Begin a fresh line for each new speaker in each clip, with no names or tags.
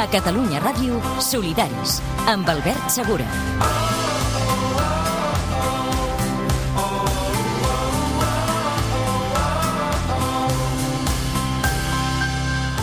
Catalunya Ràdio, Solidaris, amb Albert Segura.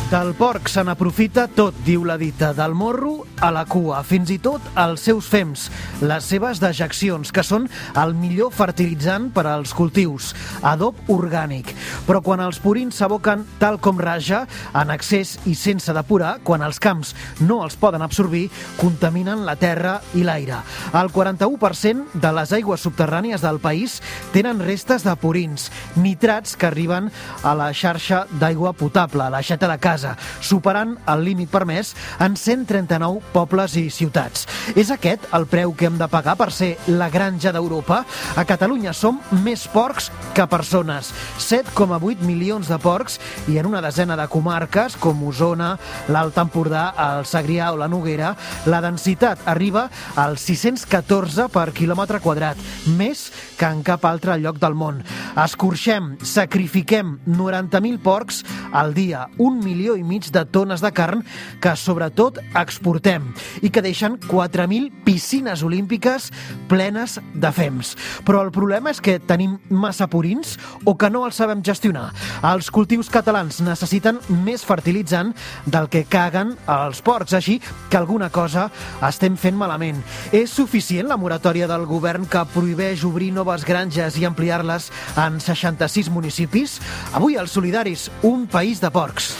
Del porc se n'aprofita tot, diu la dita, del morro a la cua, fins i tot els seus fems, les seves dejeccions, que són el millor fertilitzant per als cultius, adob orgànic. Però quan els purins s'aboquen tal com raja, en excés i sense depurar, quan els camps no els poden absorbir, contaminen la terra i l'aire. El 41% de les aigües subterrànies del país tenen restes de purins, nitrats que arriben a la xarxa d'aigua potable, a l'aixeta de casa, superant el límit permès en 139 pobles i ciutats. És aquest el preu que hem de pagar per ser la granja d'Europa? A Catalunya som més porcs que persones. 7,8 milions de porcs i en una desena de comarques, com Osona, l'Alt Empordà, el Segrià o la Noguera, la densitat arriba als 614 per quilòmetre quadrat, més que en cap altre lloc del món. Escorxem, sacrifiquem 90.000 porcs al dia, 1,5 milió de tones de carn que sobretot exportem i que deixen 4.000 piscines olímpiques plenes de fems. Però el problema és que tenim massa purins o que no els sabem gestionar. Els cultius catalans necessiten més fertilitzant del que caguen els porcs, així que alguna cosa estem fent malament. És suficient la moratòria del govern que prohibeix obrir noves granges i ampliar-les en 66 municipis? Avui als Solidaris, un país de porcs.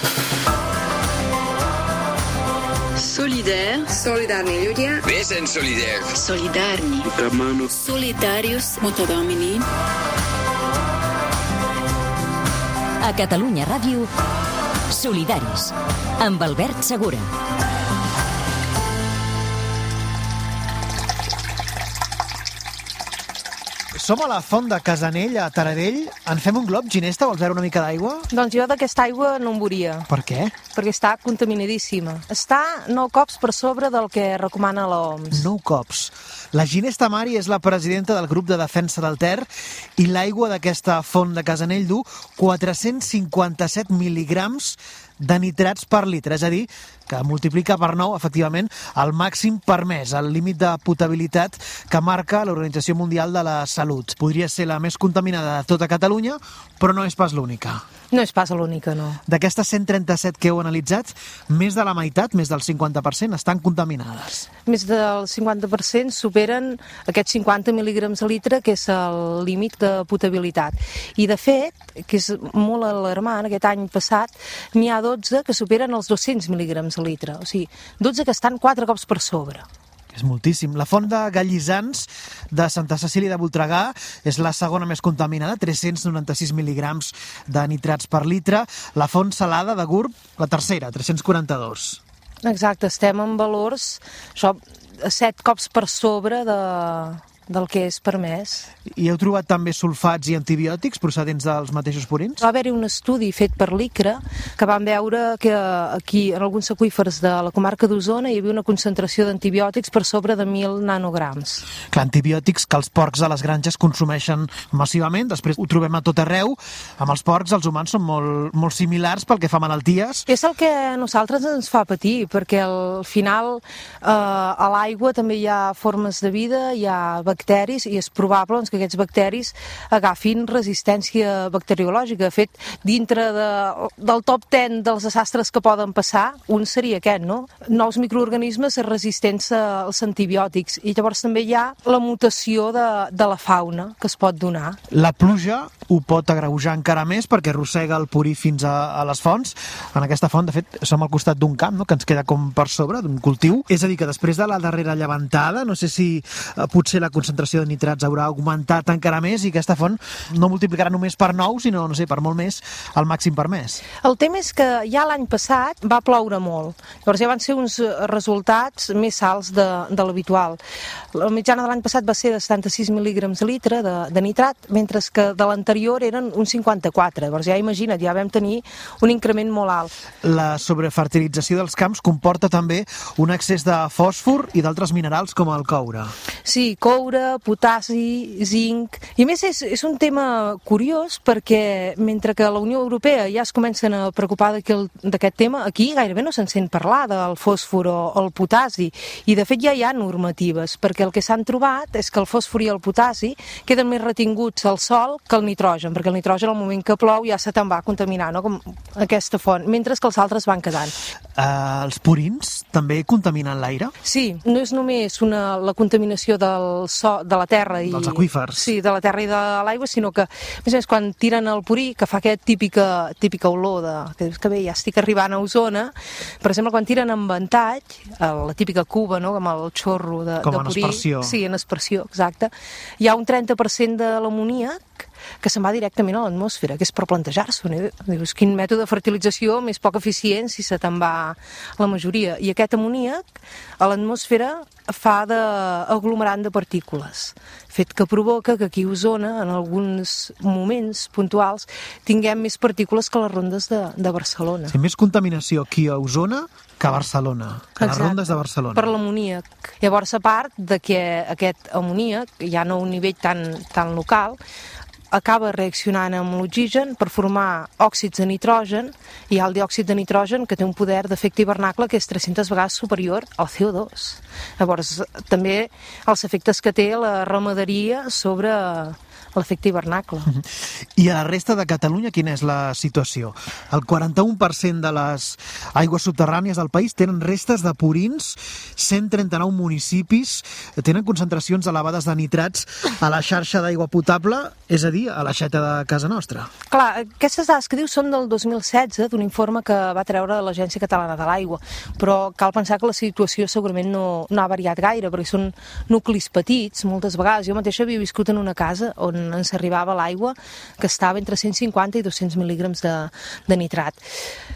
Solidaire. Solidarni ľudia.
Vesen solidaire.
Solidarni. Solidarius. Multidomini.
A Catalunya Ràdio, Solidaris, amb Albert Segura.
Som a la font de Casanell, a Taradell. En fem un glob, Ginesta? Vols veure una mica d'aigua?
Doncs jo d'aquesta aigua no en veuria.
Per què?
Perquè està contaminadíssima. Està 9 cops per sobre del que recomana l'OMS.
9 cops. La Ginesta Mari és la presidenta del grup de defensa del Ter i l'aigua d'aquesta font de Casanell du 457 mil·ligrams de nitrats per litre, és a dir, que multiplica per 9, efectivament, el màxim permès, el límit de potabilitat que marca l'Organització Mundial de la Salut. Podria ser la més contaminada de tota Catalunya, però no és pas l'única.
No és pas l'única, no.
D'aquestes 137 que heu analitzat, més de la meitat, més del 50%, estan contaminades.
Més del 50% superen aquests 50 mil·ligrams a litre, que és el límit de potabilitat. I, de fet, que és molt alarmant, aquest any passat, n'hi ha 12 que superen els 200 mil·ligrams a litre. O sigui, 12 que estan 4 cops per sobre.
És moltíssim. La font de Gallisans de Santa Cecília de Voltregà és la segona més contaminada, 396 mil·ligrams de nitrats per litre. La font salada de Gurb, la tercera, 342.
Exacte, estem en valors, això, 7 cops per sobre del que és permès.
I heu trobat també sulfats i antibiòtics procedents dels mateixos purins?
Va haver-hi un estudi fet per l'ICRA que van veure que aquí, en alguns aqüífers de la comarca d'Osona, hi havia una concentració d'antibiòtics per sobre de 1.000 nanograms.
Clar, antibiòtics que els porcs a les granges consumeixen massivament, després ho trobem a tot arreu. Amb els porcs, els humans són molt similars pel que fa a malalties.
És el que a nosaltres ens fa patir, perquè al final a l'aigua també hi ha formes de vida, hi ha bacteris, i és probable que aquests bacteris agafin resistència bacteriològica. De fet, dintre del top 10 dels desastres que poden passar, un seria aquest, no? Nous microorganismes resistents als antibiòtics, i llavors també hi ha la mutació de la fauna que es pot donar.
La pluja ho pot agreujar encara més perquè arrossega el purí fins a les fonts. En aquesta font, de fet, som al costat d'un camp, no?, que ens queda com per sobre, d'un cultiu. És a dir, que després de la darrera llevantada, no sé si potser la concentració de nitrats haurà augmentat encara més i aquesta font no multiplicarà només per 9, sinó, no sé, per molt més el màxim permès.
El tema és que ja l'any passat va ploure molt. Llavors ja van ser uns resultats més alts de l'habitual. La mitjana de l'any passat va ser de 76 mil·ligrams a litre de nitrat, mentre que de l'anterior eren uns 54. Llavors ja imagina't, ja vam tenir un increment molt alt.
La sobrefertilització dels camps comporta també un excés de fòsfor i d'altres minerals com el coure.
Sí, coure, fosfure, potassi, zinc... I a més és un tema curiós perquè mentre que a la Unió Europea ja es comencen a preocupar d'aquest tema, aquí gairebé no se'n sent parlar del fòsfor o el potassi, i de fet ja hi ha normatives, perquè el que s'han trobat és que el fòsfor i el potassi queden més retinguts al sol que el nitrogen, perquè el nitrogen al moment que plou ja se te'n va contaminar, no? Com aquesta font, mentre que els altres van quedant.
Els purins també contaminen l'aire?
Sí, no és només la contaminació del de la terra i
dels aqüífers.
Sí, de la terra i de l'aigua, sinó que, a més, quan tiren el purí, que fa aquesta típica olor que dius que bé, ja estic arribant a Osona, per exemple, quan tiren en ventall, la típica cuba, no?, amb el xorro de purí.
Com en aspersió.
Sí, en aspersió, exacte. Hi ha un 30% de l'amoníac que se'n va directament a l'atmosfera, que és per plantejar-s'ho. Dius, quin mètode de fertilització més poc eficient si se te'n va la majoria. I aquest amoníac a l'atmosfera fa d'aglomerant de partícules, fet que provoca que aquí a Osona, en alguns moments puntuals, tinguem més partícules que les rondes de Barcelona.
Sí, més contaminació aquí a Osona que a Barcelona, que les rondes de Barcelona.
Per l'amoníac. Llavors, a part de que aquest amoníac, ja no a un nivell tan local, acaba reaccionant amb l'oxigen per formar òxids de nitrogen, i hi ha el diòxid de nitrogen que té un poder d'efecte hivernacle que és 300 vegades superior al CO2. Llavors, també els efectes que té la ramaderia sobre l'efecte hivernacle.
I a la resta de Catalunya quina és la situació? El 41% de les aigües subterrànies del país tenen restes de purins, 139 municipis tenen concentracions elevades de nitrats a la xarxa d'aigua potable, és a dir, a l'aixeta de casa nostra.
Clar, aquestes dades que dius són del 2016, d'un informe que va treure l'Agència Catalana de l'Aigua, però cal pensar que la situació segurament no ha variat gaire, perquè són nuclis petits, moltes vegades. Jo mateixa havia viscut en una casa on ens arribava l'aigua que estava entre 150 i 200 mil·lígrams de nitrat.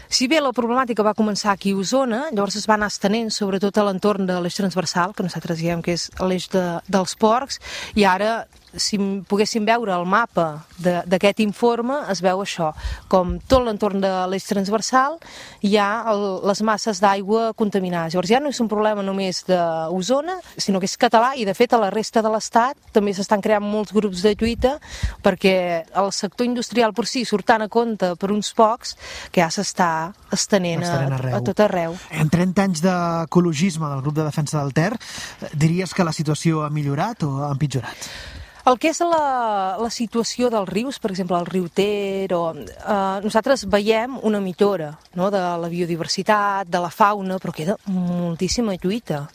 Si bé la problemàtica va començar aquí a Osona, llavors es va anar estenent sobretot a l'entorn de l'eix transversal, que nosaltres diem que és l'eix dels porcs, i ara, si poguéssim veure el mapa d'aquest informe, es veu això, com tot l'entorn de l'eix transversal hi ha les masses d'aigua contaminades. Llavors ja no és un problema només d'Osona, sinó que és català, i de fet a la resta de l'Estat també s'estan creant molts grups de lluita perquè el sector industrial per si surt tant a compte per uns pocs que ja s'està estenent a tot arreu.
En 30 anys d'ecologisme del grup de defensa del Ter, diries que la situació ha millorat o ha empitjorat?
El que és la situació dels rius, per exemple, el riu Ter, nosaltres veiem una millora, no?, de la biodiversitat, de la fauna, però queda moltíssima lluita.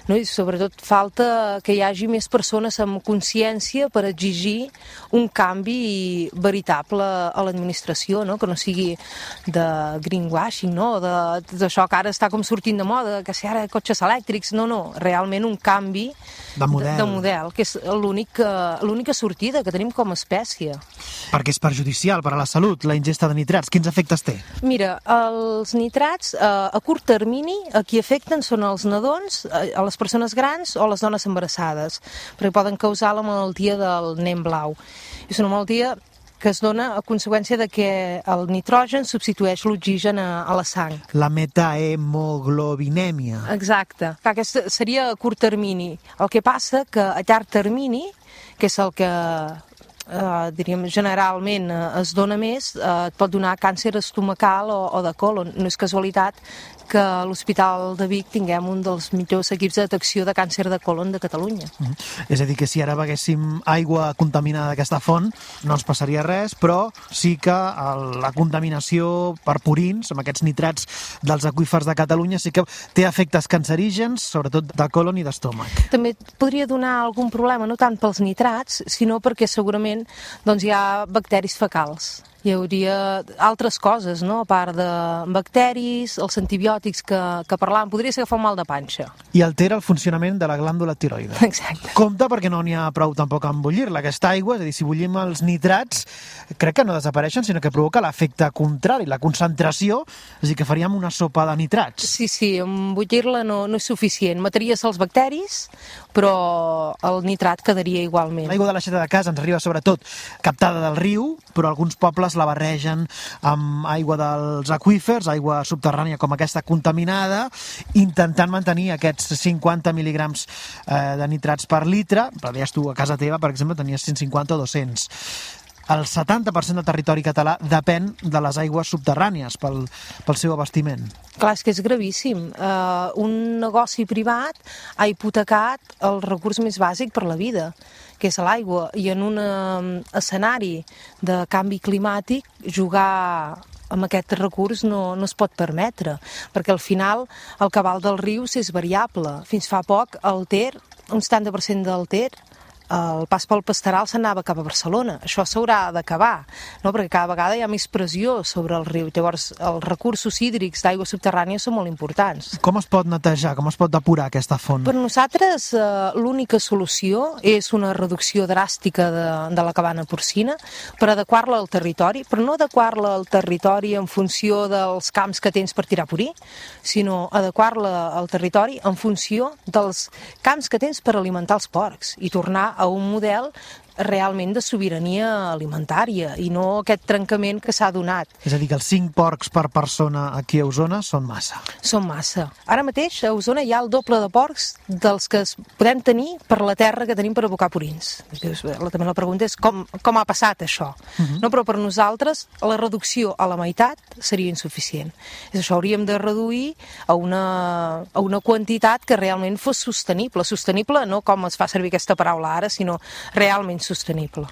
No? I sobretot falta que hi hagi més persones amb consciència per exigir un canvi veritable a l'administració, no? Que no sigui de greenwashing, no? D'això que ara està com sortint de moda, que si ara cotxes elèctrics, no, realment un canvi de model, que és l'única sortida que tenim com a espècie.
Perquè és perjudicial per a la salut, la ingesta de nitrats. Quins efectes té?
Mira, els nitrats a curt termini a qui afecten són els nadons, a les persones grans o les dones embarassades, perquè poden causar la malaltia del nen blau. És una malaltia que es dona a conseqüència de que el nitrogen substitueix l'oxigen a la sang.
La metahemoglobinemia.
Exacte. Aquesta seria a curt termini. El que passa que a llarg termini, que és el que diríem generalment es dona més, et pot donar càncer estomacal o de colon. No és casualitat que a l'Hospital de Vic tinguem un dels millors equips de detecció de càncer de colon de Catalunya.
És a dir, que si ara beguéssim aigua contaminada d'aquesta font no ens passaria res, però sí que la contaminació per purins, amb aquests nitrats dels aqüífers de Catalunya, sí que té efectes cancerígens, sobretot de colon i d'estómac.
També podria donar algun problema, no tant pels nitrats, sinó perquè segurament hi ha bacteris fecals. Hi hauria altres coses, no?, a part de bacteris, els antibiòtics que parlàvem, podria ser agafar un mal de panxa.
I altera el funcionament de la glàndula tiroide.
Exacte.
Compte perquè no n'hi ha prou tampoc amb bullir-la, aquesta aigua, és a dir, si bullim els nitrats, crec que no desapareixen, sinó que provoca l'efecte contrari, la concentració, és a dir, que faríem una sopa de nitrats.
Sí, amb bullir-la no és suficient. Mataries els bacteris, però el nitrat quedaria igualment.
L'aigua de l'aixeta de casa ens arriba sobretot captada del riu, però alguns pobles plantes, la barregen amb aigua dels aqüífers, aigua subterrània com aquesta contaminada, intentant mantenir aquests 50 mil·lígrams de nitrats per litre. Però deies tu, a casa teva, per exemple, tenies 150 o 200. El 70% del territori català depèn de les aigües subterrànies pel seu abastiment.
Clar, és que és gravíssim. Un negoci privat ha hipotecat el recurs més bàsic per la vida, que és l'aigua, i en un escenari de canvi climàtic jugar amb aquest recurs no es pot permetre, perquè al final el cabal dels rius és variable. Fins fa poc el Ter, un 70% del Ter, el pas pel Pasteral s'anava cap a Barcelona. Això s'haurà d'acabar, no? Perquè cada vegada hi ha més pressió sobre el riu. Llavors, els recursos hídrics d'aigua subterrània són molt importants.
Com es pot netejar, com es pot depurar aquesta font?
Per nosaltres, l'única solució és una reducció dràstica de la cabana porcina per adequar-la al territori, però no adequar-la al territori en funció dels camps que tens per tirar purí, sinó adequar-la al territori en funció dels camps que tens per alimentar els porcs i tornar a un model realment de sobirania alimentària i no aquest trencament que s'ha donat.
És a dir, que els 5 porcs per persona aquí a Osona són massa.
Són massa. Ara mateix a Osona hi ha el doble de porcs dels que podem tenir per la terra que tenim per abocar purins. També la pregunta és com ha passat això. No, però per nosaltres la reducció a la meitat seria insuficient. És això, hauríem de reduir a una quantitat que realment fos sostenible. Sostenible no com es fa servir aquesta paraula ara, sinó realment sostenible.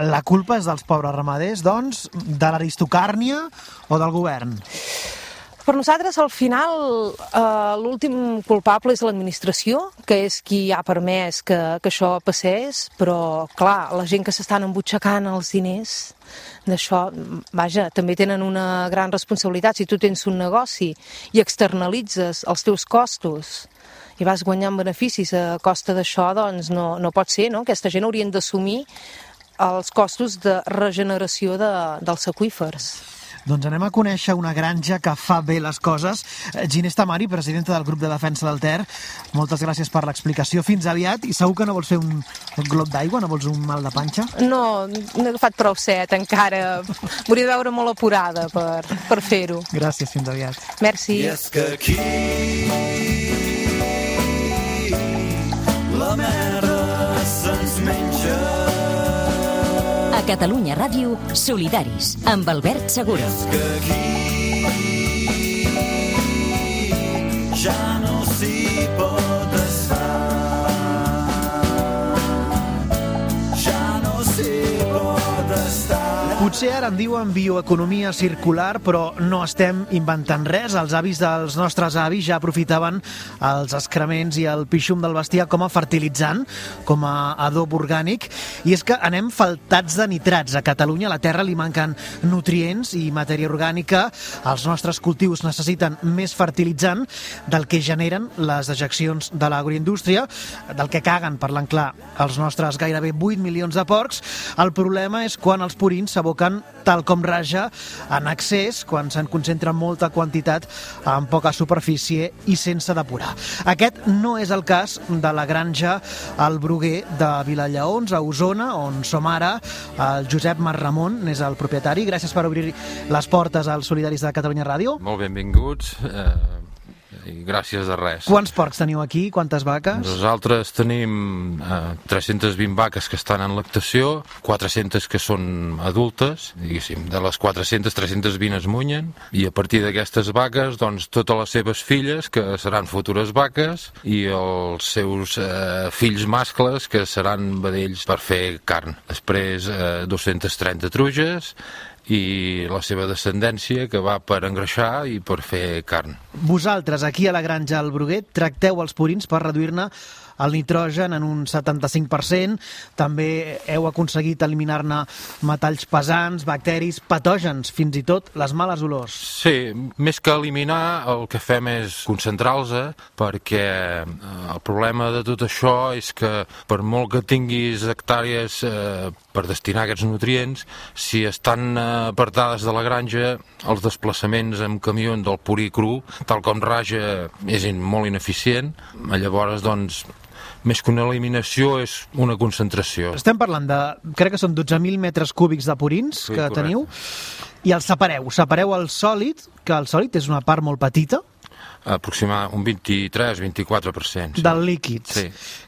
La culpa és dels pobres ramaders, doncs, de l'aristocràcia o del govern?
Per nosaltres, al final, l'últim culpable és l'administració, que és qui ha permès que això passés, però, clar, la gent que s'estan embutxacant els diners d'això, vaja, també tenen una gran responsabilitat. Si tu tens un negoci i externalitzes els teus costos i vas guanyant beneficis a costa d'això, doncs no pot ser, no? Aquesta gent haurien d'assumir els costos de regeneració dels aqüífers.
Doncs anem a conèixer una granja que fa bé les coses. Ginés Tamari, presidenta del grup de defensa del Ter, moltes gràcies per l'explicació. Fins aviat. I segur que no vols fer un glop d'aigua? No vols un mal de panxa?
No he agafat prou set encara. M'hauria de veure molt apurada per fer-ho.
Gràcies, fins aviat.
Merci.
I és que aquí la merda se'ns menja.
A Catalunya Ràdio, Solidaris, amb Albert Segura.
És que aquí ja no s'hi pot estar. Ja no s'hi pot estar.
Potser ara en diuen bioeconomia circular, però no estem inventant res. Els avis dels nostres avis ja aprofitaven els excrements i el pixum del bestiar com a fertilitzant, com a adob orgànic. I és que anem faltats de nitrats. A Catalunya a la terra li manquen nutrients i matèria orgànica. Els nostres cultius necessiten més fertilitzant del que generen les dejeccions de l'agroindústria, del que caguen, parlant clar, els nostres gairebé 8 milions de porcs. El problema és quan els purins s'aboquen tal com raja en excés, quan se'n concentra molta quantitat en poca superfície i sense depurar. Aquest no és el cas de la granja El Bruguer de Vilallaons, a Osona, on som ara. El Josep Marramon és el propietari. Gràcies per obrir les portes als Solidaris de Catalunya Ràdio.
Molt benvinguts. I gràcies de res.
Quants porcs teniu aquí? Quantes vaques?
Nosaltres tenim 320 vaques que estan en lactació, 400 que són adultes, diguéssim. De les 400, 320 es munyen, i a partir d'aquestes vaques, doncs, totes les seves filles, que seran futures vaques, i els seus fills mascles, que seran vedells per fer carn. Després 230 truges, i la seva descendència, que va per engreixar i per fer carn.
Vosaltres, aquí a la granja El Bruguer, tracteu els purins per reduir-ne el nitrogen en un 75%. També heu aconseguit eliminar-ne metalls pesants, bacteris, patògens, fins i tot les males olors.
Sí, més que eliminar, el que fem és concentrar-los, perquè el problema de tot això és que per molt que tinguis hectàrees per destinar aquests nutrients, si estan apartades de la granja, els desplaçaments amb camió del purí cru, tal com raja, és molt ineficient. Llavors, doncs, més que una eliminació és una concentració.
Estem parlant de, crec que són 12.000 metres cúbics de purins que teniu, i els separeu el sòlid, que el sòlid és una part molt petita,
aproximadament un 23-24%. Sí.
Del líquid,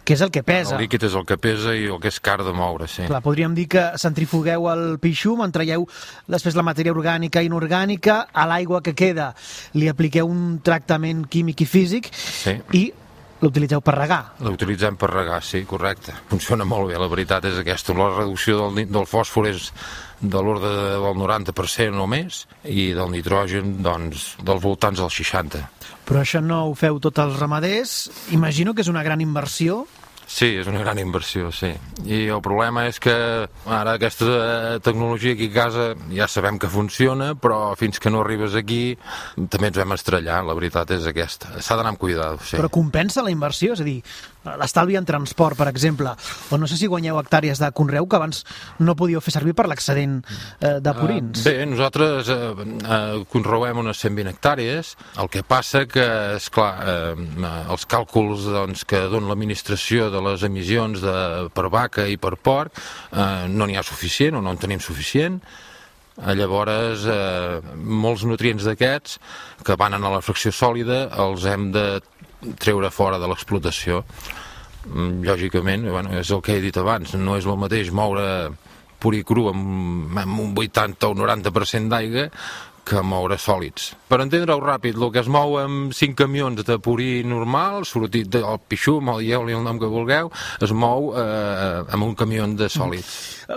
que és el que pesa.
El líquid és el que pesa i el que és car de moure, sí.
Clar, podríem dir que centrifugueu el pixum, en traieu després la matèria orgànica i inorgànica, a l'aigua que queda li apliqueu un tractament químic i físic i l'utilitzeu per regar.
L'utilitzem per regar, sí, correcte. Funciona molt bé, la veritat és aquesta. La reducció del fòsfor és de l'ordre del 90% o més, i del nitrogen, doncs, dels voltants del 60%.
Però això no ho feu tots els ramaders. Imagino que és una gran inversió.
Sí, és una gran inversió, sí. I el problema és que ara aquesta tecnologia aquí a casa ja sabem que funciona, però fins que no arribes aquí també ens vam estrellar, la veritat és aquesta. S'ha d'anar amb cuidado, sí.
Però compensa la inversió? És a dir, l'estalvi en transport, per exemple, o no sé si guanyeu hectàrees de conreu que abans no podíeu fer servir per l'excedent de purins.
Bé, nosaltres conreuem unes 120 hectàrees, el que passa que, esclar, els càlculs doncs, que dona l'administració de les emissions per vaca i per porc no n'hi ha suficient o no en tenim suficient. Llavors molts nutrients d'aquests que van a la fracció sòlida els hem de treure fora de l'explotació. Lògicament, és el que he dit abans, no és el mateix moure purí cru amb un 80 o un 90% d'aigua que moure sòlids. Per entendre-ho ràpid, el que es mou amb 5 camions de purí normal, sortit del pixum, el lleu-li el nom que vulgueu, es mou amb un camió de sòlids.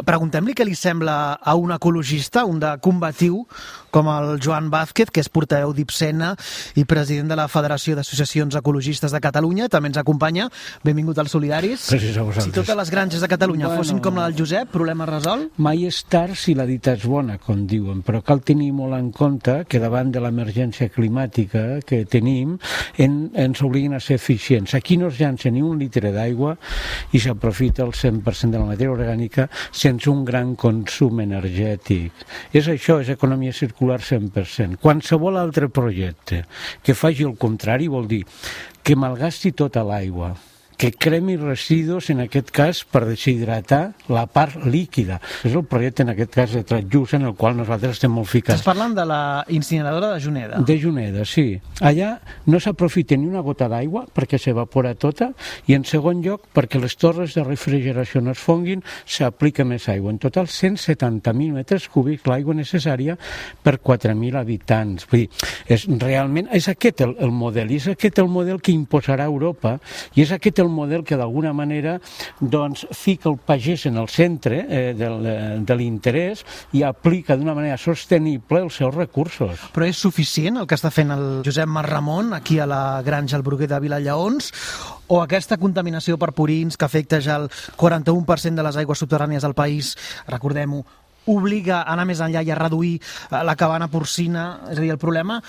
Preguntem-li què li sembla a un ecologista, un de combatiu, com el Joan Vázquez, que és portaveu d'Ipsena i president de la Federació d'Associacions Ecologistes de Catalunya. També ens acompanya. Benvingut als Solidaris.
Gràcies a vosaltres.
Si totes les granges de Catalunya fossin com la del Josep, problema resolt?
Mai és tard si la dita és bona, com diuen, però cal tenir molt en compte que davant de l'emergència climàtica que tenim ens obliguen a ser eficients. Aquí no es llança ni un litre d'aigua i s'aprofita el 100% de la matèria orgànica sense un gran consum energètic. És això, és economia circular 100%. Qualsevol altre projecte que faci el contrari vol dir que malgasti tota l'aigua, que cremi residus, en aquest cas, per deshidratar la part líquida. És el projecte, en aquest cas, de Transjust, en el qual nosaltres estem molt ficats.
Estàs parlant de la incineradora de Juneda.
De Juneda, sí. Allà no s'aprofita ni una gota d'aigua perquè s'evapora tota, i en segon lloc, perquè les torres de refrigeració no es fonguin, s'aplica més aigua. En total, 170.000 metres cúbics l'aigua necessària per 4.000 habitants. Vull dir, realment és aquest el model, i és aquest el model que imposarà Europa, i és aquest el model que d'alguna manera doncs, fica el pagès en el centre de l'interès i aplica d'una manera sostenible els seus recursos.
Però és suficient el que està fent el Josep Marramon aquí a la granja al Bruguer de Vilallaons, o aquesta contaminació per purins que afecta ja el 41% de les aigües subterrànies del país, recordem-ho, obliga a anar més enllà i a reduir la cabana porcina? És a dir, el problema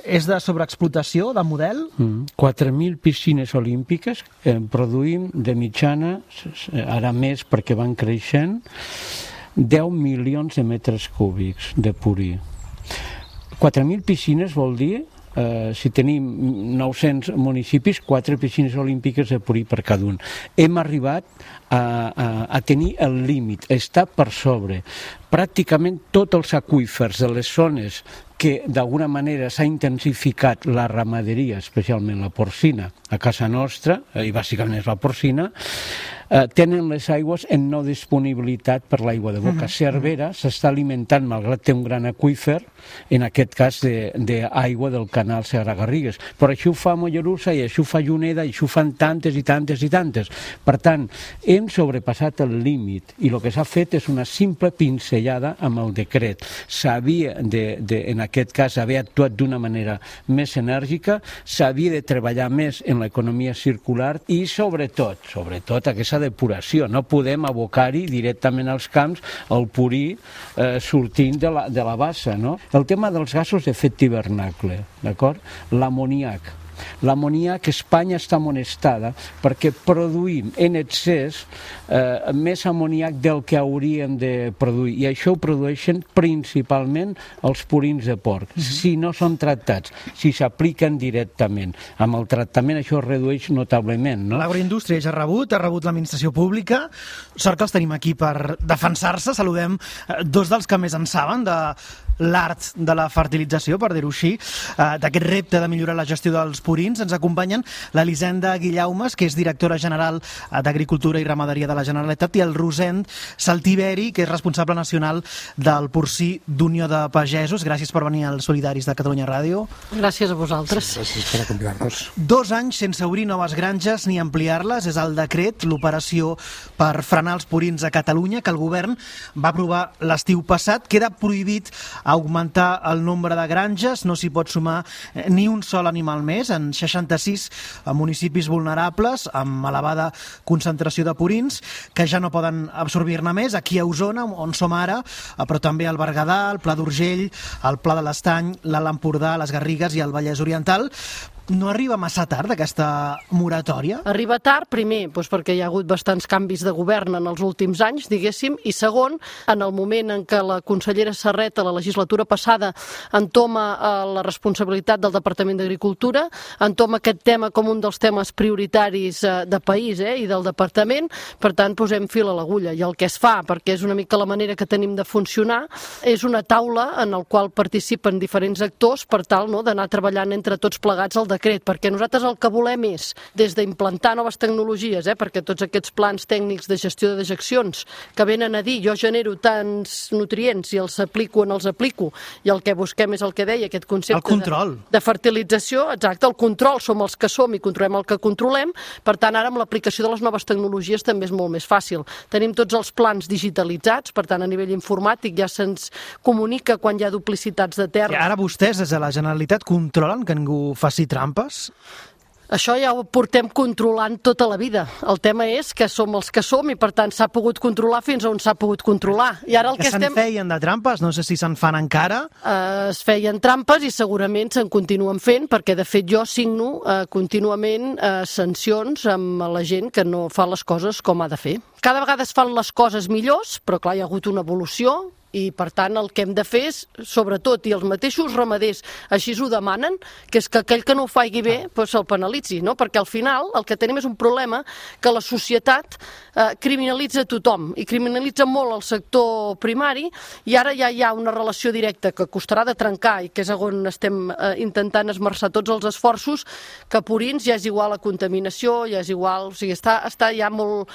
és de sobreexplotació, de model?
4.000 piscines olímpiques produïm de mitjana, ara més perquè van creixent, 10 milions de metres cúbics de purí. 4.000 piscines vol dir, si tenim 900 municipis, 4 piscines olímpiques de purí per cada un. Hem arribat a tenir el límit, està per sobre. Pràcticament tots els aqüífers de les zones que d'alguna manera s'ha intensificat la ramaderia, especialment la porcina, a casa nostra, i bàsicament és la porcina, tenen les aigües en no disponibilitat per l'aigua de boca. Cervera s'està alimentant, malgrat té un gran aqüífer, en aquest cas d'aigua del canal Segarra-Garrigues. Però això ho fa Mollerussa, i això ho fa Juneda, i això ho fan tantes i tantes i tantes. Per tant, hem sobrepassat el límit, i el que s'ha fet és una simple pinzellada amb el decret. S'havia en aquest cas, haver actuat d'una manera més enèrgica, s'havia de treballar més en l'economia circular i, sobretot, aquesta depuració. No podem abocar-hi directament als camps el purí sortint de la bassa, no? El tema dels gasos d'efecte hivernacle, d'acord? L'amoníac. L'amoníac, Espanya està amonestada perquè produïm en excés més amoníac del que hauríem de produir, i això ho produeixen principalment els purins de porc, si no són tractats, si s'apliquen directament. Amb el tractament això es redueix notablement, no?
L'agroindústria ja ha rebut l'administració pública. Sort que els tenim aquí per defensar-se. Saludem dos dels que més en saben de l'art de la fertilització, per dir-ho així, d'aquest repte de millorar la gestió dels purins. Ens acompanyen l'Elisenda Guillaumes, que és directora general d'Agricultura i Ramaderia de la Generalitat, i el Rosend Saltiveri, que és responsable nacional del porcí d'Unió de Pagesos. Gràcies per venir als Solidaris de Catalunya Ràdio.
Gràcies a vosaltres.
Gràcies per acompanyar-nos.
2 anys sense obrir noves granges ni ampliar-les és el decret, l'operació per frenar els purins a Catalunya, que el govern va aprovar l'estiu passat. Queda prohibit augmentar el nombre de granges, no s'hi pot sumar ni un sol animal més en 66 municipis vulnerables amb elevada concentració de purins que ja no poden absorbir-ne més, aquí a Osona, on som ara, però també al Berguedà, al Pla d'Urgell, al Pla de l'Estany, l'Alt Empordà, les Garrigues i el Vallès Oriental. No arriba massa tard aquesta moratòria?
Arriba tard, primer, perquè hi ha hagut bastants canvis de govern en els últims anys, diguéssim, i segon, en el moment en què la consellera Serret, a la legislatura passada, entoma la responsabilitat del Departament d'Agricultura, entoma aquest tema com un dels temes prioritaris de país i del Departament, per tant, posem fil a l'agulla. I el que es fa, perquè és una mica la manera que tenim de funcionar, és una taula en la qual participen diferents actors per tal d'anar treballant entre tots plegats el decret, perquè nosaltres el que volem és, des d'implantar noves tecnologies, perquè tots aquests plans tècnics de gestió de dejeccions que venen a dir jo genero tants nutrients i els aplico, i el que busquem és el que deia, aquest concepte de fertilització, exacte, el control, som els que som i controlem el que controlem, per tant ara amb l'aplicació de les noves tecnologies també és molt més fàcil. Tenim tots els plans digitalitzats, per tant a nivell informàtic ja se'ns comunica quan hi ha duplicitats de terra.
I ara vostès des de la Generalitat controlen que ningú faci trampes?
Això ja ho portem controlant tota la vida. El tema és que som els que som i per tant s'ha pogut controlar fins on s'ha pogut controlar. I ara el que
se'n feien de trampes? No sé si se'n fan encara.
Es feien trampes i segurament se'n continuen fent, perquè de fet jo signo contínuament sancions amb la gent que no fa les coses com ha de fer. Cada vegada es fan les coses millors, però clar, hi ha hagut una evolució, i per tant el que hem de fer és, sobretot, i els mateixos ramaders així ho demanen, que és que aquell que no ho faci bé se'l penalitzi, no? Perquè al final el que tenim és un problema que la societat criminalitza tothom i criminalitza molt el sector primari, i ara ja hi ha una relació directa que costarà de trencar i que és on estem intentant esmerçar tots els esforços, que purins ja és igual a contaminació, ja és igual, o sigui, està ja molt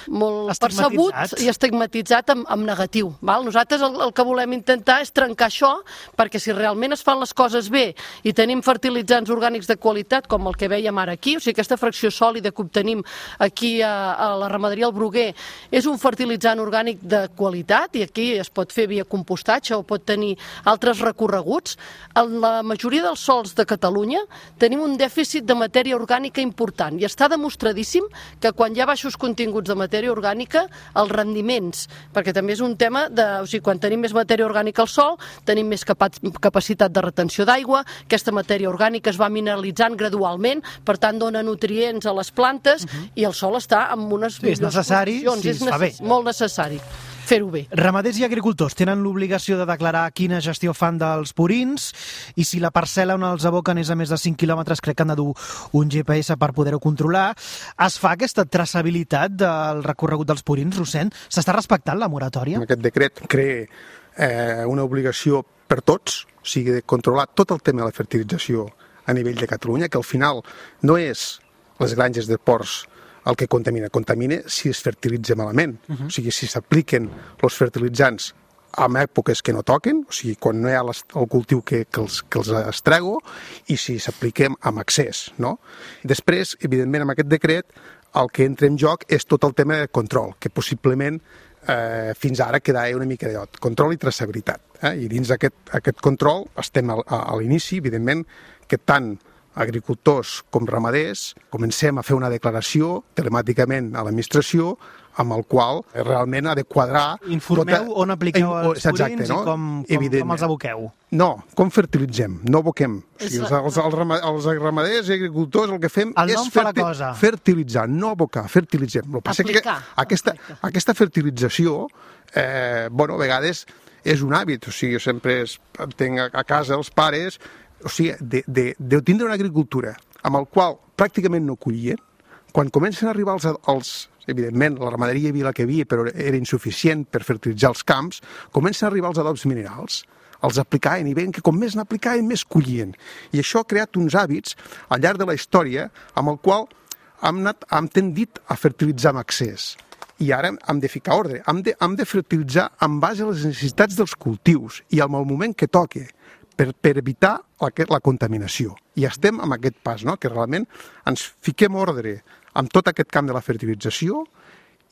percebut i estigmatitzat en negatiu. Nosaltres el que volem intentar és trencar això, perquè si realment es fan les coses bé i tenim fertilitzants orgànics de qualitat, com el que veiem ara aquí, o sigui, aquesta fracció sòlida que obtenim aquí a la ramaderia al Bruguer és un fertilitzant orgànic de qualitat, i aquí es pot fer via compostatge o pot tenir altres recorreguts. En la majoria dels sols de Catalunya tenim un dèficit de matèria orgànica important, i està demostradíssim que quan hi ha baixos continguts de matèria orgànica, els rendiments, perquè també és un tema o sigui, quan tenim més matèria orgànica al sol, tenim més capacitat de retenció d'aigua, aquesta matèria orgànica es va mineralitzant gradualment, per tant dona nutrients a les plantes, i el sol està en unes millors condicions. És molt necessari fer-ho bé.
Ramaders i agricultors tenen l'obligació de declarar quina gestió fan dels purins, i si la parcel·la on els aboquen és a més de 5 quilòmetres, crec que han de dur un GPS per poder-ho controlar. Es fa aquesta traçabilitat del recorregut dels purins, Rosend? S'està respectant la moratòria?
Aquest decret crea una obligació per tots, o sigui, de controlar tot el tema de la fertilització a nivell de Catalunya, que al final no és les granges de porcs el que contamina si es fertilitza malament. O sigui, si s'apliquen els fertilitzants en èpoques que no toquen, o sigui, quan no hi ha el cultiu que els estrego, i si s'apliquem amb excés, no? Després, evidentment, amb aquest decret, el que entra en joc és tot el tema de control, que possiblement fins ara quedava una mica de control i traçabilitat. I dins d'aquest control estem a l'inici, evidentment, que tant agricultors com ramaders comencem a fer una declaració telemàticament a l'administració amb el qual realment ha de quadrar...
Informeu on apliqueu els purins i com els aboqueu.
No, com fertilitzem, no aboquem. O sigui, els ramaders i agricultors el que fem és fertilitzar, no abocar, fertilitzem. El que passa que aquesta fertilització, a vegades és un hàbit, o sigui, jo sempre tenc a casa els pares, o sigui, de tindre una agricultura amb el qual pràcticament no collien, quan comencen a arribar evidentment, la ramaderia hi havia la que havia, però era insuficient per fertilitzar els camps, comencen a arribar els adobs minerals, els aplicaven i veien que com més n'aplicaven, més collien. I això ha creat uns hàbits al llarg de la història amb el qual hem tendit a fertilitzar amb excés. I ara hem de ficar ordre, hem de fertilitzar en base a les necessitats dels cultius i al moment que toqui, per evitar la contaminació. I estem amb aquest pas, no? Que realment ens fiquem ordre amb tot aquest camp de la fertilització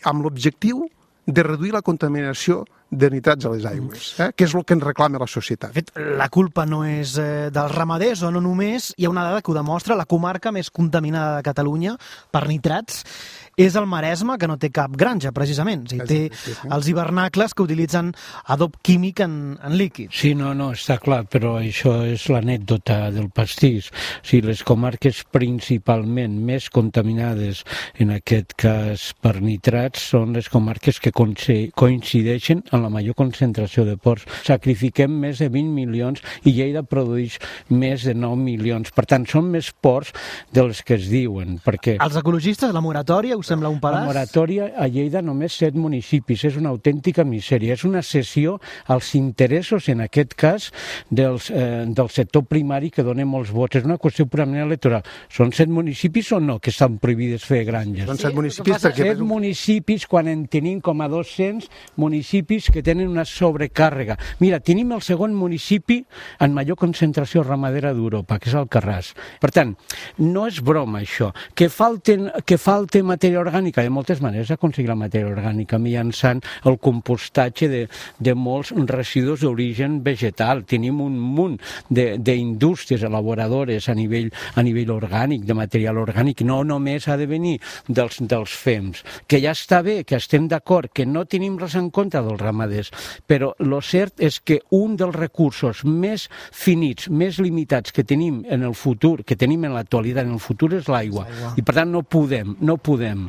amb l'objectiu de reduir la contaminació de nitrats a les aigües, que és el que ens reclama la societat.
De fet, la culpa no és dels ramaders, o no només, hi ha una dada que ho demostra, la comarca més contaminada de Catalunya per nitrats és el Maresme, que no té cap granja, precisament. O sigui, té els hivernacles que utilitzen adob químic en líquid.
Sí, no, està clar, però això és l'anècdota del pastís. O sigui, les comarques principalment més contaminades, en aquest cas per nitrats, són les comarques que coincideixen en la major concentració de porcs. Sacrifiquem més de 20 milions i Lleida produeix més de 9 milions. Per tant, són més porcs dels que es diuen. Perquè
els ecologistes, la moratòria, us sembla un pedaç?
La moratòria a Lleida només 7 municipis. És una autèntica misèria. És una cessió als interessos, en aquest cas, del sector primari que dona molts vots. És una qüestió purament electoral. Són 7 municipis o no que estan prohibides fer granges?
Són 7 municipis perquè...
7 municipis quan en tenim com a 200 municipis que tenen una sobrecàrrega. Mira, tenim el segon municipi en major concentració ramadera d'Europa, que és Alcarràs. Per tant, no és broma això. Que falte matèria orgànica, de moltes maneres aconseguir la matèria orgànica mitjançant el compostatge de molts residus d'origen vegetal. Tenim un munt d'indústries elaboradores a nivell orgànic, de material orgànic. No només ha de venir dels fems, que ja està bé, que estem d'acord, que no tenim res en contra dels ramaders, però el cert és que un dels recursos més finits, més limitats que tenim en el futur, que tenim en l'actualitat, en el futur, és l'aigua. I per tant no podem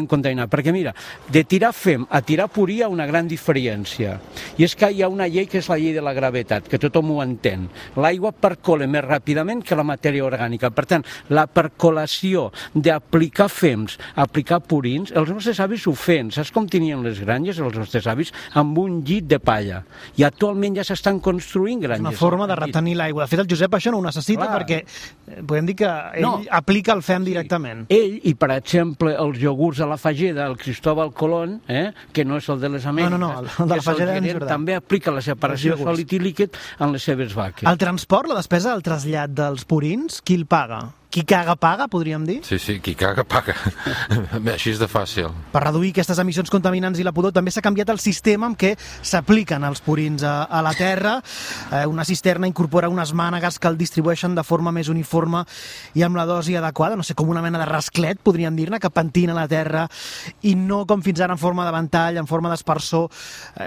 contaminar, perquè mira, de tirar fem a tirar purí hi ha una gran diferència, i és que hi ha una llei que és la llei de la gravetat, que tothom ho entén. L'aigua percola més ràpidament que la matèria orgànica, per tant, la percolació d'aplicar fems, aplicar purins, els nostres avis ho feien. Saps com tenien les granges, els nostres avis? Amb un llit de palla. I actualment ja s'estan construint granges.
Una forma de retenir l'aigua. De fet, el Josep això no ho necessita perquè podem dir que ell aplica el fem directament.
Ell, i per exemple, els iogurts a la Fageda, el Cristóbal Colón, que no és el de les Amèriques,
no, el de la Fageda és veritat.
També aplica la separació sòlid i líquid en les seves vaques.
El transport, la despesa del trasllat dels purins, qui el paga? Qui caga paga, podríem dir?
Sí, qui caga paga. Així és de fàcil.
Per reduir aquestes emissions contaminants i la pudor també s'ha canviat el sistema amb què s'apliquen els purins a la terra. Una cisterna incorpora unes mànegues que el distribueixen de forma més uniforme i amb la dosi adequada, no sé, com una mena de rasclet, podríem dir-ne, que pentina la terra i no com fins ara en forma de ventall, en forma d'espersor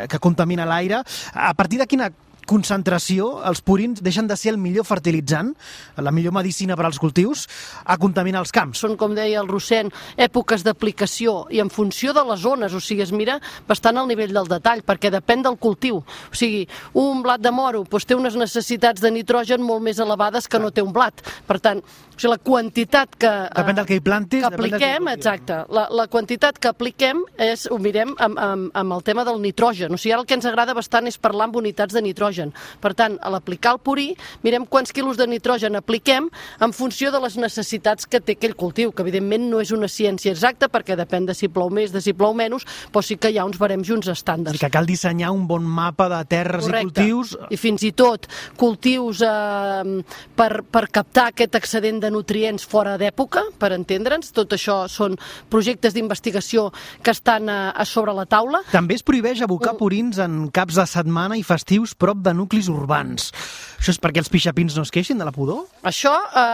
que contamina l'aire. A partir de quina concentració, els purins deixen de ser el millor fertilitzant, la millor medicina per als cultius, a contaminar els camps.
Són, com deia el Rossent, èpoques d'aplicació i en funció de les zones, o sigui, es mira bastant al nivell del detall, perquè depèn del cultiu. O sigui, un blat de moro té unes necessitats de nitrogen molt més elevades que no té un blat. Per tant, la quantitat que...
Depèn del que hi plantis,
que apliquem, exacte. La quantitat que apliquem ho mirem amb el tema del nitrogen. O sigui, ara el que ens agrada bastant és parlar amb unitats de nitrogen. Per tant, a l'aplicar el purí, mirem quants quilos de nitrogen apliquem en funció de les necessitats que té aquell cultiu, que evidentment no és una ciència exacta perquè depèn de si plou més, de si plou menys, però sí que hi ha uns barems i uns estàndards.
Que cal dissenyar un bon mapa de terres i cultius.
I fins i tot cultius per captar aquest excedent de nutrients fora d'època, per entendre'ns. Tot això són projectes d'investigació que estan a sobre la taula.
També es prohibeix abocar purins en caps de setmana i festius prop de nuclis urbans. Això és perquè els pixapins no es queixin de la pudor?
Això,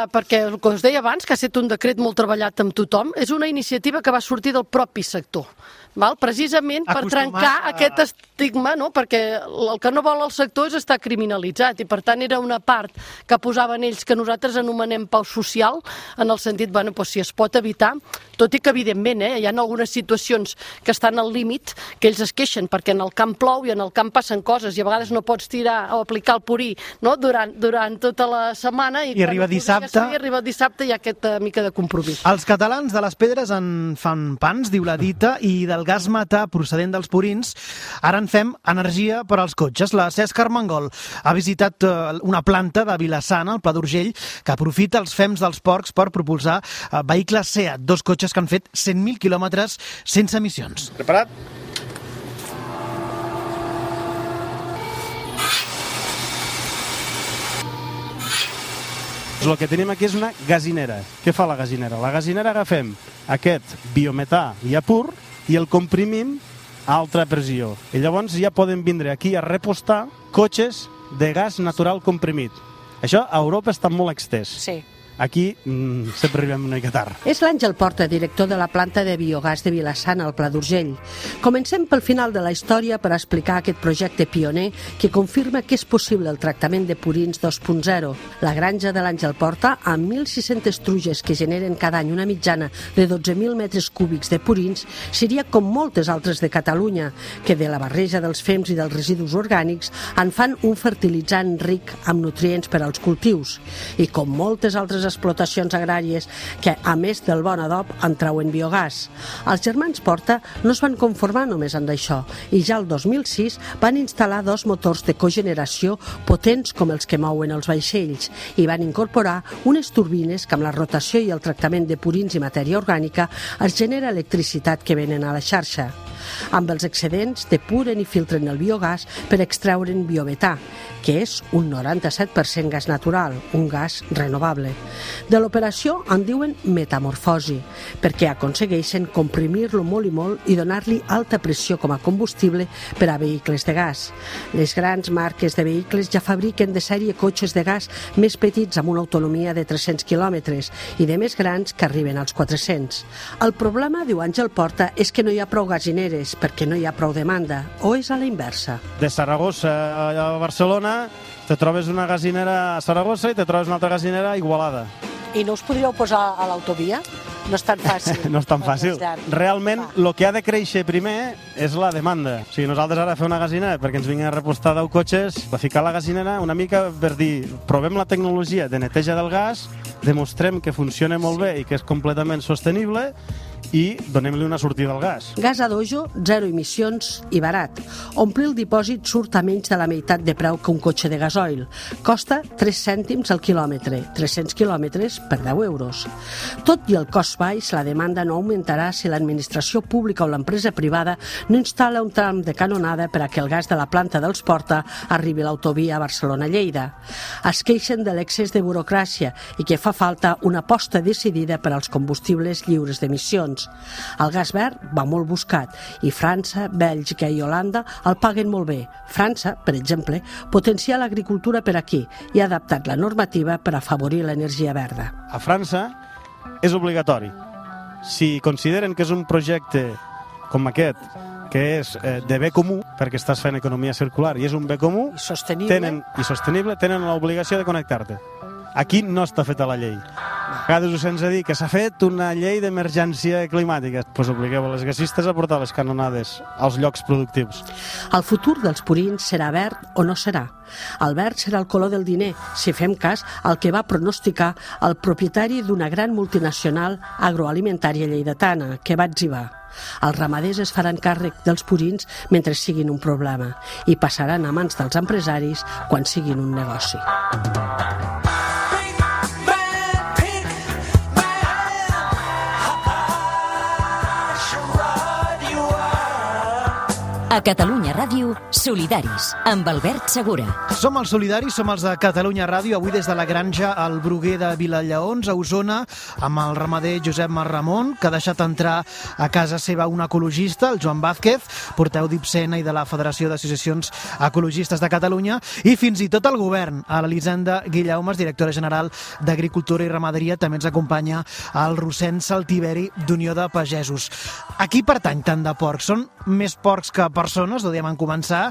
perquè el que us deia abans, que ha estat un decret molt treballat amb tothom, és una iniciativa que va sortir del propi sector. Precisament per trencar aquest estigma, no? Perquè el que no vol el sector és estar criminalitzat i per tant era una part que posaven ells que nosaltres anomenem pau social, en el sentit, si es pot evitar, tot i que evidentment hi ha algunes situacions que estan al límit que ells es queixen perquè en el camp plou i en el camp passen coses i a vegades no pots tirar o aplicar el purí, no? durant tota la setmana i
arriba dissabte
hi ha aquesta mica de compromís.
Els catalans de les Pedres en fan pans, diu la dita, i del gas metà procedent dels purins ara en fem energia per als cotxes. La Cesc Armengol ha visitat una planta de Vila-sana, al Pla d'Urgell, que aprofita els fems dels porcs per propulsar vehicles SEAT, 2 cotxes que han fet 100.000 quilòmetres sense emissions.
Preparat? El que tenim aquí és una gasinera. Què fa la gasinera? La gasinera agafem aquest biometà ja pur i el comprimim a alta pressió. I llavors ja poden vindre aquí a repostar cotxes de gas natural comprimit. Això a Europa està molt extès.
Sí.
Aquí sempre arribem una mica tard.
És l'Àngel Porta, director de la planta de biogàs de Vila-sana, al Pla d'Urgell. Comencem pel final de la història per explicar aquest projecte pioner que confirma que és possible el tractament de purins 2.0. La granja de l'Àngel Porta, amb 1.600 truges que generen cada any una mitjana de 12.000 metres cúbics de purins, seria com moltes altres de Catalunya, que de la barreja dels fems i dels residus orgànics en fan un fertilitzant ric amb nutrients per als cultius. I com moltes altres explotacions agràries que, a més del bon adob, en trauen biogàs. Els germans Porta no es van conformar només amb això i ja el 2006 van instal·lar 2 motors de cogeneració potents com els que mouen els vaixells i van incorporar unes turbines que amb la rotació i el tractament de purins i matèria orgànica es genera electricitat que venen a la xarxa. Amb els excedents depuren i filtren el biogàs per extreure'n biometà, que és un 97% gas natural, un gas renovable. De l'operació en diuen metamorfosi, perquè aconsegueixen comprimir-lo molt i molt i donar-li alta pressió com a combustible per a vehicles de gas. Les grans marques de vehicles ja fabriquen de sèrie cotxes de gas més petits amb una autonomia de 300 quilòmetres i de més grans que arriben als 400. El problema, diu Àngel Porta, és que no hi ha prou gasineres perquè no hi ha prou demanda, o és a la inversa.
De Saragossa a Barcelona te trobes una gasinera a Saragossa i te trobes una altra gasinera a Igualada.
I no us podríeu posar a l'autovia? No és tan fàcil.
No és tan fàcil. Realment, el que ha de créixer primer és la demanda. O sigui, nosaltres ara fem una gasinera perquè ens vinguin a repostar 10 cotxes, a ficar la gasinera una mica per dir, provem la tecnologia de neteja del gas, demostrem que funciona molt bé i que és completament sostenible i donem-li una sortida al gas.
Gas a dojo, 0 emissions i barat. Omplir el dipòsit surt a menys de la meitat de preu que un cotxe de gasoil. Costa 3 cèntims al quilòmetre, 300 quilòmetres per 10 euros. Tot i el cost baix, la demanda no augmentarà si l'administració pública o l'empresa privada no instal·la un tram de canonada per a que el gas de la planta dels Porta arribi a l'autovia Barcelona-Lleida. Es queixen de l'excés de burocràcia i que fa falta una aposta decidida per als combustibles lliures d'emissions. El gas verd va molt buscat i França, Bèlgica i Holanda el paguen molt bé. França, per exemple, potencia l'agricultura per aquí i ha adaptat la normativa per afavorir l'energia verda.
A França és obligatori. Si consideren que és un projecte com aquest, que és de bé comú, perquè estàs fent economia circular i és un bé comú, i sostenible, tenen l'obligació de connectar-te. Aquí no està feta la llei. A vegades us sents a dir que s'ha fet una llei d'emergència climàtica. Doncs obligueu a les gasistes a portar les canonades als llocs productius.
El futur dels purins serà verd o no serà? El verd serà el color del diner, si fem cas al que va pronosticar el propietari d'una gran multinacional agroalimentària lleidatana, que va etzibar. Els ramaders es faran càrrec dels purins mentre siguin un problema i passaran a mans dels empresaris quan siguin un negoci.
A Catalunya Ràdio, Solidaris, amb Albert Segura.
Som els Solidaris, som els de Catalunya Ràdio, avui des de la granja al Bruguer de Vilallaons, a Osona, amb el ramader Josep Marramon, que ha deixat entrar a casa seva un ecologista, el Joan Vázquez, porteu d'Ipsena i de la Federació d'Associacions Ecologistes de Catalunya, i fins i tot el govern. A l'Elisenda Guillaumes, directora general d'Agricultura i Ramaderia, també ens acompanya el Rossend Saltiveri d'Unió de Pagesos. A qui pertany tant de porcs? Són més porcs que persones, ho dèiem en començar,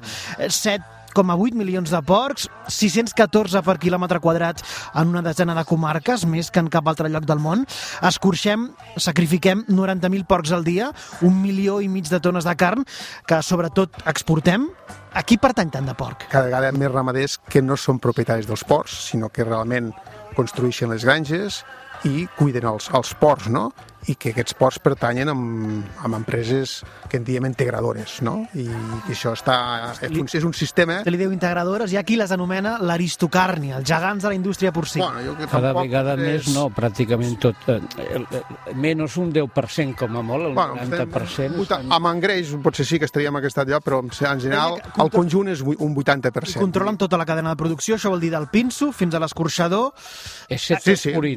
7,8 milions de porcs, 614 per quilòmetre quadrat en una desena de comarques, més que en cap altre lloc del món. Escorxem, sacrifiquem 90.000 porcs al dia, 1,5 milions de tones de carn, que sobretot exportem. A qui pertany tant de porc?
Cada vegada més ramaders que no són propietaris dels porcs, sinó que realment construeixen les granges i cuiden els porcs, no? I que aquests porcs pertanyen amb empreses que en diem integradores, no? I això és un sistema...
Se li diu integradores, hi ha qui les anomena l'aristocàrnia, els gegants de la indústria porcina.
Bueno,
cada vegada més no, pràcticament tot. Menys un 10% com a molt, el 90%.
Amb engreix potser sí que estaríem en aquest lloc, però en general el conjunt és un 80%.
I controlen tota la cadena de producció, això vol dir del pinso fins a l'escorxador.
Excepte el purí.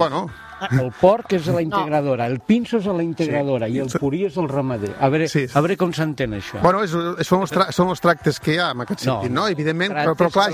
El porc és a la integradora, el pinso és a la integradora i el purí és el ramader. A veure com s'entén això.
Bueno, són els tractes que hi ha en aquest sentit, no? Evidentment, però clar,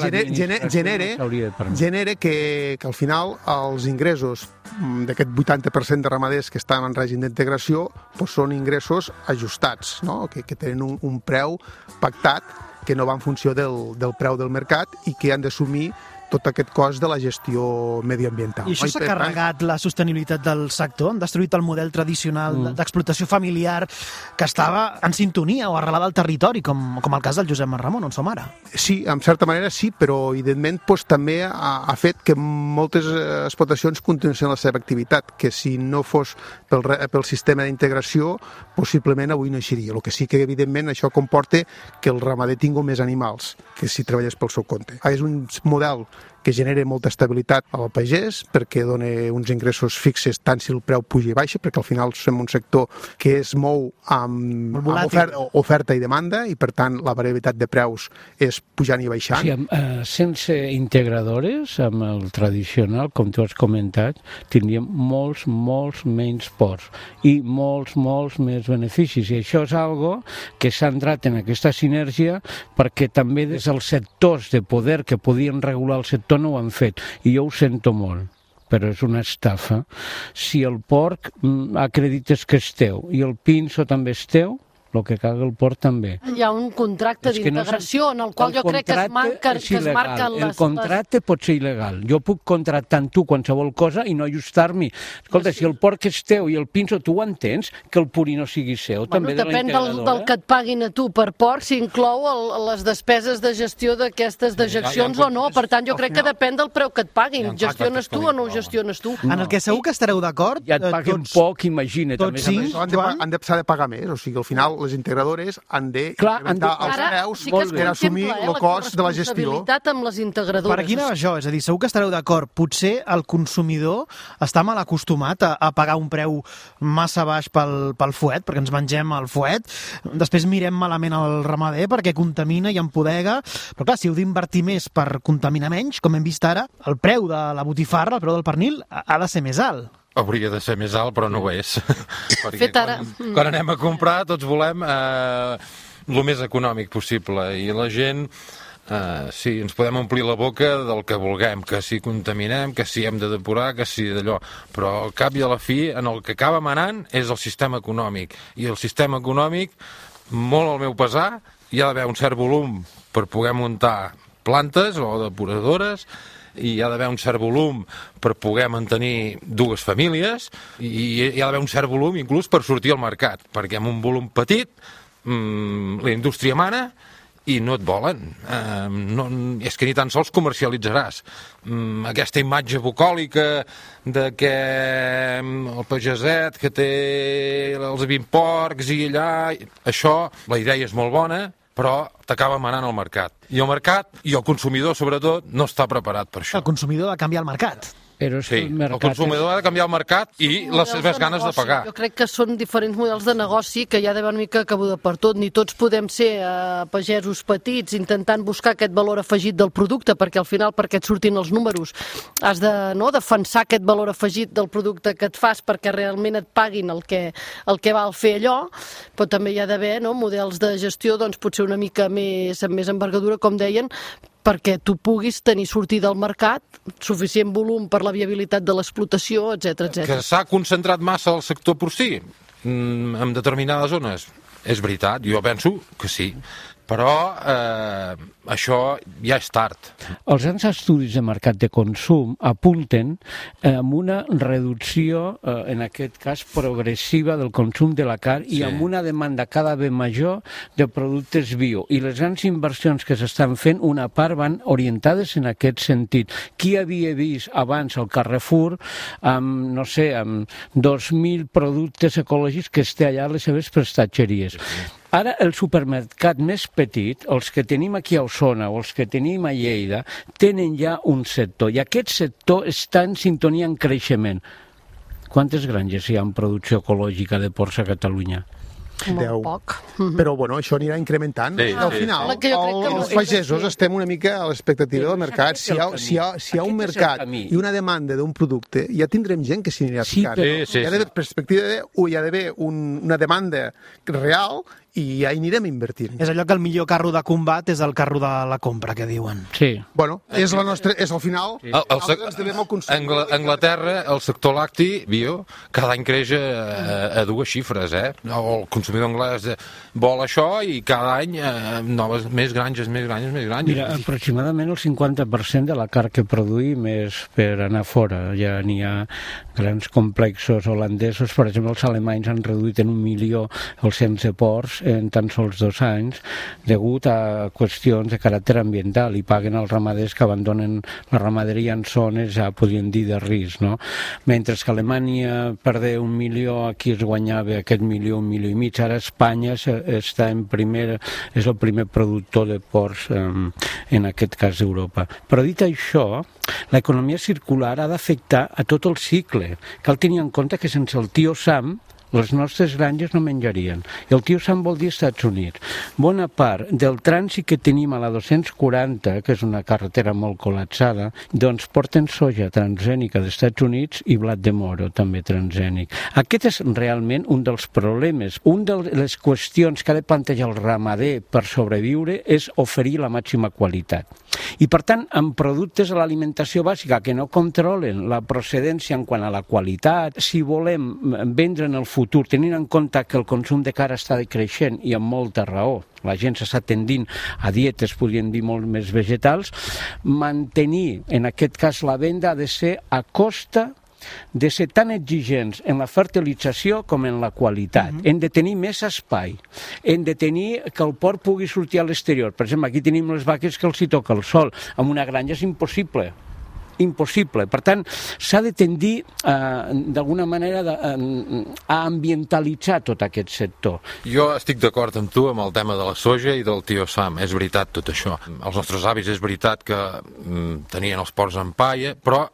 genera que al final els ingressos d'aquest 80% de ramaders que estan en règim d'integració són ingressos ajustats, no? Que tenen un preu pactat que no va en funció del preu del mercat i que han d'assumir tot aquest cost de la gestió mediambiental.
I això s'ha carregat la sostenibilitat del sector? Han destruït el model tradicional d'explotació familiar que estava en sintonia o arrelada al territori, com el cas del Josep Marramon, on som ara?
Sí, en certa manera sí, però evidentment també ha fet que moltes explotacions continuessin la seva activitat, que si no fos pel sistema d'integració, possiblement avui no eixiria. El que sí que evidentment això comporta que el ramader tingui més animals que si treballés pel seu compte. És un model que genera molta estabilitat al pagès perquè dona uns ingressos fixes tant si el preu puja i baixa, perquè al final som un sector que es mou amb oferta i demanda i per tant la variabilitat de preus és pujant i baixant.
Sí, sense integradores, amb el tradicional, com tu has comentat, tindríem molts menys porcs i molts més beneficis, i això és algo que s'ha entrat en aquesta sinergia perquè també des dels sectors de poder que podien regular el sector no ho han fet, i jo ho sento molt, però és una estafa. Si el porc acredites que és teu i el pinso també és teu, el que caga el porc també.
Hi ha un contracte d'integració en el qual jo crec que es marquen les...
El contracte pot ser il·legal. Jo puc contractar amb tu qualsevol cosa i no ajustar-m'hi. Escolta, si el porc és teu i el pinso, tu ho entens, que el purí no sigui seu, també de la integradora?
Depèn del que et paguin a tu per porc, si inclou les despeses de gestió d'aquestes dejeccions o no. Per tant, jo crec que depèn del preu que et paguin. Gestiones tu o no ho gestiones tu?
En el que segur que estareu d'acord...
Ja et paguen poc, imagina't.
Tots sí, han de pagar més, o sigui, al final les integradores han d'incrementar els preus per assumir el cost de la gestió.
Amb les integradores.
Per aquí anava això, és a dir, segur que estareu d'acord. Potser el consumidor està mal acostumat a pagar un preu massa baix pel fuet, perquè ens mengem el fuet, després mirem malament el ramader perquè contamina i empodega, però clar, si heu d'invertir més per contaminar menys, com hem vist ara, el preu de la botifarra, el preu del pernil, ha de ser més alt.
Hauria de ser més alt, però no ho és. Perquè quan anem a comprar tots volem el més econòmic possible i la gent, sí, ens podem omplir la boca del que vulguem, que si contaminem, que si hem de depurar, que si d'allò, però al cap i a la fi en el que acaba manant és el sistema econòmic, i el sistema econòmic, molt al meu pesar, hi ha d'haver un cert volum per poder muntar plantes o depuradores, i hi ha d'haver un cert volum per poder mantenir dues famílies i hi ha d'haver un cert volum inclús per sortir al mercat, perquè amb un volum petit la indústria mana i no et volen. És que ni tan sols comercialitzaràs. Aquesta imatge bucòlica de que el pageset que té els 20 porcs i allà... Això, la idea és molt bona, però t'acaba manant el mercat. I el mercat, i el consumidor sobretot, no està preparat per això.
El consumidor ha de canviar el mercat.
Sí, el consumidor ha de canviar el mercat i les seves ganes de pagar.
Jo crec que són diferents models de negoci que hi ha d'haver una mica cabuda per tot. Ni tots podem ser pagesos petits intentant buscar aquest valor afegit del producte, perquè al final, perquè et surtin els números, has de defensar aquest valor afegit del producte que et fas perquè realment et paguin el que val fer allò, però també hi ha d'haver models de gestió potser una mica més envergadura, com deien, perquè tu puguis tenir sortida al mercat, suficient volum per la viabilitat de l'explotació, etc.
Que s'ha concentrat massa el sector porcí en determinades zones. És veritat, jo penso que sí, però això ja és tard.
Els grans estudis de mercat de consum apunten amb una reducció, en aquest cas progressiva, del consum de la carn i amb una demanda cada vegada major de productes bio. I les grans inversions que s'estan fent, una part van orientades en aquest sentit. Qui havia vist abans al Carrefour amb 2.000 productes ecològics que es té allà a les seves prestatgeries? Ara, el supermercat més petit, els que tenim aquí a Osona o els que tenim a Lleida, tenen ja un sector, i aquest sector està en sintonia en creixement. Quantes granges hi ha en producció ecològica de porcs a Catalunya?
10. Poc. Però això anirà incrementant. Al final, els pagesos estem una mica a l'expectativa del mercat. Si hi ha un mercat i una demanda d'un producte, ja tindrem gent que s'hi anirà ficant. Hi ha d'haver una demanda real i ja hi anirem invertint.
És allò que el millor carro de combat és el carro de la compra, que diuen.
Sí.
Bueno, és al final, ens devem al consum.
A Anglaterra, el sector lacti bio, cada any creix a 2 xifres, El consumidor anglès vol això i cada any més granges.
Mira, aproximadament el 50% de la carn que produïm és per anar fora. Ja n'hi ha grans complexos holandesos, per exemple, els alemanys han reduït en 1 milió els cens de porcs en tan sols 2 anys, degut a qüestions de caràcter ambiental, i paguen els ramaders que abandonen la ramaderia en zones, ja podríem dir, de risc, no? Mentre que Alemanya perdé 1 milió, aquí es guanyava aquest milió, 1,5 milions. Ara Espanya està és el primer productor de porcs en aquest cas d'Europa. Però dit això, l'economia circular ha d'afectar a tot el cicle. Cal tenir en compte que sense el tio Sam les nostres granges no menjarien. I el tio Sam vol dir Estats Units. Bona part del trànsit que tenim a la 240, que és una carretera molt col·lapsada, doncs porten soja transgènica d'Estats Units i blat de moro, també transgènic. Aquest és realment un dels problemes. Una de les qüestions que ha de plantejar el ramader per sobreviure és oferir la màxima qualitat. I, per tant, amb productes de l'alimentació bàsica que no controlen la procedència en quant a la qualitat, si volem vendre en el futur, tenint en compte que el consum de carn està creixent i amb molta raó, la gent s'està tendint a dietes, podríem dir, molt més vegetals, mantenir, en aquest cas, la venda ha de ser a costa de ser tan exigents en la fertilització com en la qualitat. Hem de tenir més espai, hem de tenir que el porc pugui sortir a l'exterior. Per exemple, aquí tenim les vaques que els hi toca el sol, amb una granja és impossible. Per tant, s'ha de tendir d'alguna manera a ambientalitzar tot aquest sector.
Jo estic d'acord amb tu amb el tema de la soja i del tio Sam, és veritat tot això. Els nostres avis és veritat que tenien els porcs en paia, però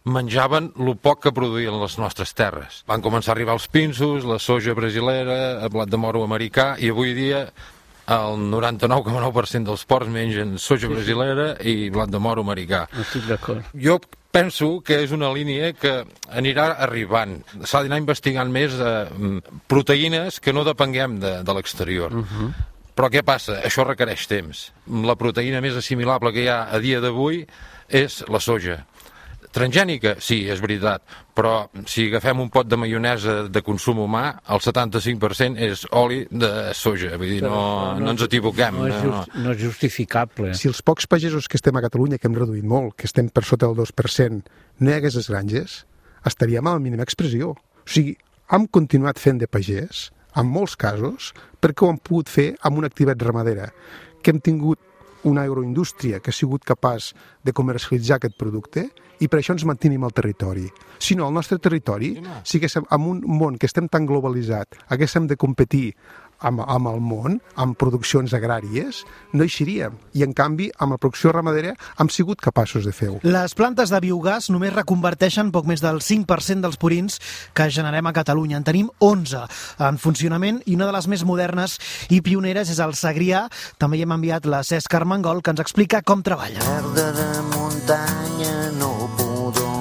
menjaven el poc que produïen les nostres terres. Van començar a arribar els pinsos, la soja brasilera, el blat de moro americà, i avui dia el 99,9% dels porcs mengen soja brasilera i blat de moro americà.
Estic d'acord.
Jo penso que és una línia que anirà arribant. S'ha d'anar investigant més proteïnes que no depenguem de l'exterior. Però què passa? Això requereix temps. La proteïna més assimilable que hi ha a dia d'avui és la soja. Transgènica? Sí, és veritat, però si agafem un pot de maionesa de consum humà, el 75% és oli de soja, vull dir, no ens equivoquem.
No és justificable.
Si els pocs pagesos que estem a Catalunya, que hem reduït molt, que estem per sota del 2%, no hi hagués les granges, estaríem a la mínima expressió. O sigui, hem continuat fent de pagès, en molts casos, perquè ho hem pogut fer amb una activitat ramadera, que hem tingut una agroindústria que ha sigut capaç de comercialitzar aquest producte i per això ens mantenim al territori. Si no, al nostre territori, si haguéssim, en un món que estem tan globalitzat, haguéssim de competir amb el món, amb produccions agràries, no eixiríem. I, en canvi, amb la producció ramadera hem sigut capaços de fer-ho.
Les plantes de biogàs només reconverteixen poc més del 5% dels purins que generem a Catalunya. En tenim 11 en funcionament i una de les més modernes i pioneres és el Segrià. També hi hem enviat la Cesc Armengol, que ens explica com treballa.
Merda de muntanya, no pudor.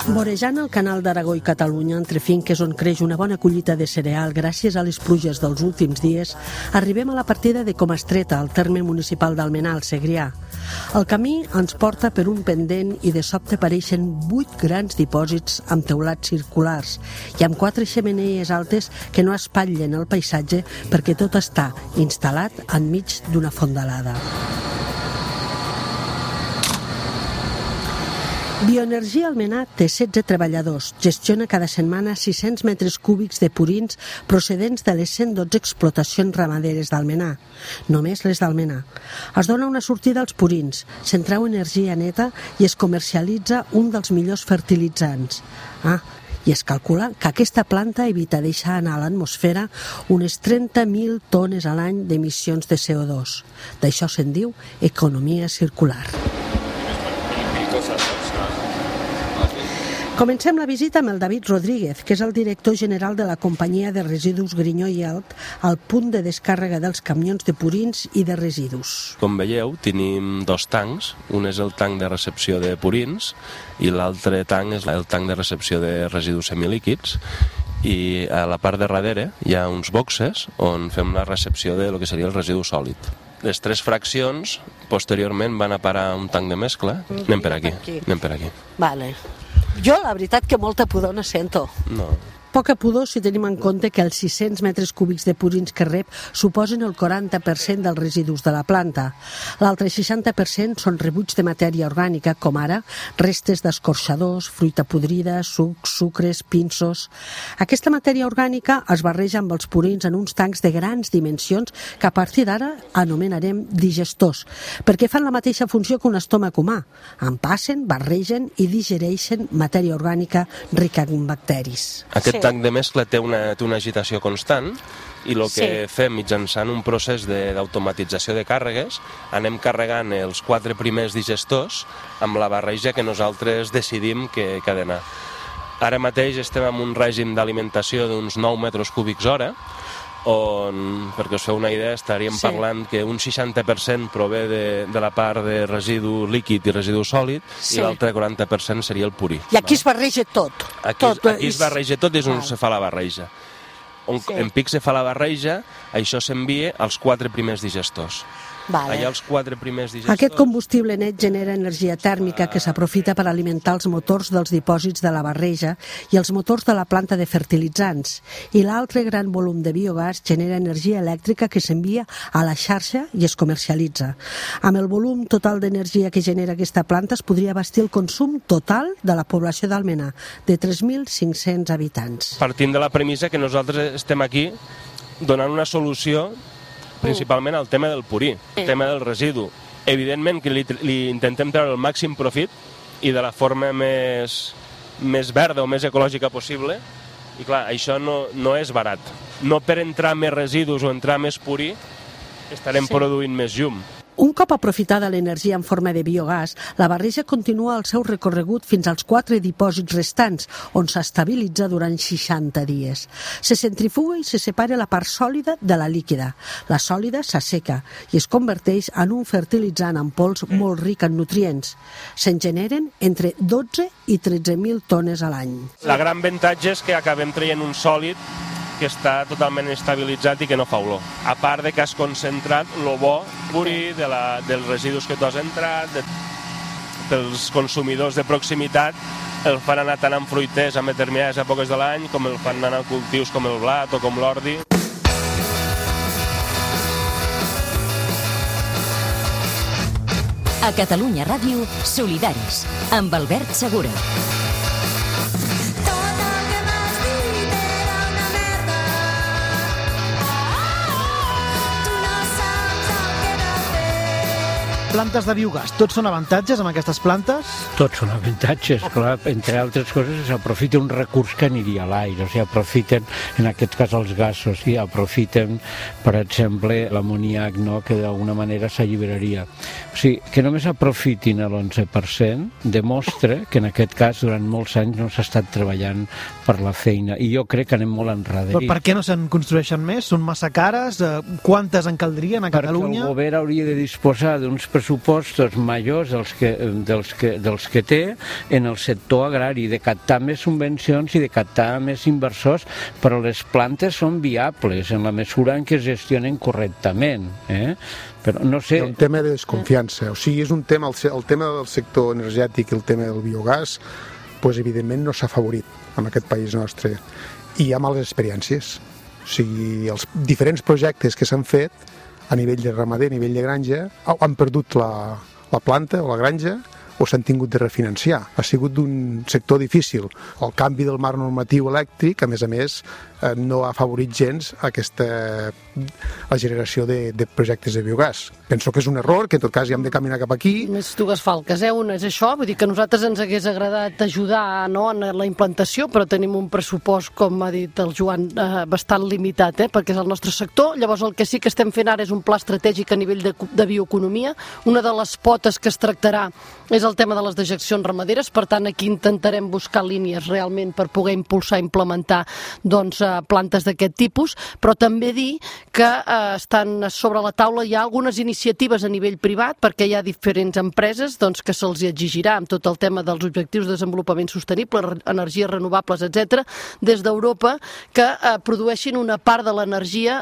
Vorejant el canal d'Aragó i Catalunya, entre finques on creix una bona collita de cereal gràcies a les pluges dels últims dies, arribem a la partida de Comastreta, al terme municipal d'Almenar, al Segrià. El camí ens porta per un pendent i de sobte apareixen 8 grans dipòsits amb teulats circulars i amb 4 xemeneies altes que no espatllen el paisatge perquè tot està instal·lat enmig d'una fondalada. Bioenergia Almenar té 16 treballadors, gestiona cada setmana 600 metres cúbics de purins procedents de les 112 explotacions ramaderes d'Almenar, només les d'Almenar. Es dona una sortida als purins, se'n treu energia neta i es comercialitza un dels millors fertilitzants. I es calcula que aquesta planta evita deixar anar a l'atmosfera unes 30.000 tones a l'any d'emissions de CO2. D'això se'n diu economia circular. Comencem la visita amb el David Rodríguez, que és el director general de la companyia de residus Grinyó i Alt, al punt de descàrrega dels camions de purins i de residus.
Com veieu, tenim 2 tancs. Un és el tanc de recepció de purins i l'altre tanc és el tanc de recepció de residus semilíquids. I a la part de darrere hi ha uns boxes on fem la recepció de lo que seria el residu sòlid. Les 3 fraccions posteriorment van a parar a un tanc de mescla. Anem per aquí.
Vale. Jo, la veritat, que molta pudor no sento.
No.
Poca pudor si tenim en compte que els 600 metres cúbics de purins que rep suposen el 40% dels residus de la planta. L'altre 60% són rebuig de matèria orgànica, com ara restes d'escorxadors, fruita podrida, sucs, sucres, pinsos. Aquesta matèria orgànica es barreja amb els purins en uns tancs de grans dimensions que a partir d'ara anomenarem digestors, perquè fan la mateixa funció que un estómac humà. En passen, barregen i digereixen matèria orgànica rica en bacteris.
Aquest tanc de mescla té una agitació constant i el que fem mitjançant un procés d'automatització de càrregues, anem carregant els 4 primers digestors amb la barreja que nosaltres decidim que ha d'anar. Ara mateix estem en un règim d'alimentació d'uns 9 metres cúbics hora, on, perquè us feu una idea, estaríem parlant que un 60% prové de la part de residu líquid i residu sòlid i l'altre 40% seria el purí.
I aquí es barreja tot.
Aquí es barreja tot, és on se fa la barreja. En pic se fa la barreja, això s'envia als 4 primers digestors. Allà els 4 primers digestors...
Aquest combustible net genera energia tèrmica que s'aprofita per alimentar els motors dels dipòsits de la barreja i els motors de la planta de fertilitzants. I l'altre gran volum de biogàs genera energia elèctrica que s'envia a la xarxa i es comercialitza. Amb el volum total d'energia que genera aquesta planta es podria abastir el consum total de la població d'Almenar, de 3.500 habitants.
Partint de la premissa que nosaltres estem aquí donant una solució principalment al tema del purí, el tema del residu. Evidentment que li intentem treure el màxim profit i de la forma més verda o més ecològica possible. I clar, això no és barat. No per entrar més residus o entrar més purí estarem produint més llum.
Un cop aprofitada l'energia en forma de biogàs, la barreja continua el seu recorregut fins als 4 dipòsits restants, on s'estabilitza durant 60 dies. Se centrifuga i se separa la part sòlida de la líquida. La sòlida s'asseca i es converteix en un fertilitzant en pols molt ric en nutrients. Se'n generen entre 12 i 13.000 tones a l'any.
La gran avantatge és que acabem traient un sòlid que està totalment estabilitzat i que no fa olor. A part de que has concentrat el bo purí dels residus que tu has entrat, dels consumidors de proximitat, el fan anar tant en fruiters a determinades èpoques de l'any com el fan anar a cultius com el blat o com l'ordi.
A Catalunya Ràdio, Solidaris, amb Albert Segura.
plantes de biogàs, tots són avantatges amb aquestes plantes?
Tots són avantatges, clar, entre altres coses s'aprofita un recurs que aniria a l'aire, o sigui, aprofiten, en aquest cas els gasos, i aprofiten, per exemple, l'amoníac, no?, que d'alguna manera s'alliberaria. O sigui, que només aprofitin l'11% demostra que en aquest cas durant molts anys no s'ha estat treballant per la feina, i jo crec que anem molt enrere.
Per què no se'n construeixen més? Són massa cares? Quantes en caldrien a Catalunya?
Perquè el govern hauria de disposar d'uns pressupostos majors dels que té en el sector agrari, de captar més subvencions i de captar més inversors, però les plantes són viables en la mesura en què es gestionen correctament. Però no sé...
Hi ha un tema de desconfiança, o sigui, és un tema, el tema del sector energètic i el tema del biogàs, doncs evidentment no s'ha afavorit en aquest país nostre, i hi ha males experiències. O sigui, els diferents projectes que s'han fet a nivell de ramader, a nivell de granja, han perdut la planta o la granja, o s'han tingut de refinanciar. Ha sigut d'un sector difícil. El canvi del marc normatiu elèctric, a més, no ha afavorit gens la generació de projectes de biogàs. Penso que és un error, que en tot cas ja hem de caminar cap aquí.
Més dues falques, una és això, vull dir que a nosaltres ens hagués agradat ajudar, no, en la implantació, però tenim un pressupost, com ha dit el Joan, bastant limitat, perquè és el nostre sector. Llavors el que sí que estem fent ara és un pla estratègic a nivell de bioeconomia. Una de les potes que es tractarà és el tema de les dejeccions ramaderes, per tant aquí intentarem buscar línies realment per poder impulsar i implementar plantes d'aquest tipus, però també dir que estan sobre la taula hi ha algunes iniciatives a nivell privat, perquè hi ha diferents empreses que se'ls exigirà amb tot el tema dels objectius de desenvolupament sostenible, energies renovables, etc., des d'Europa, que produeixin una part de l'energia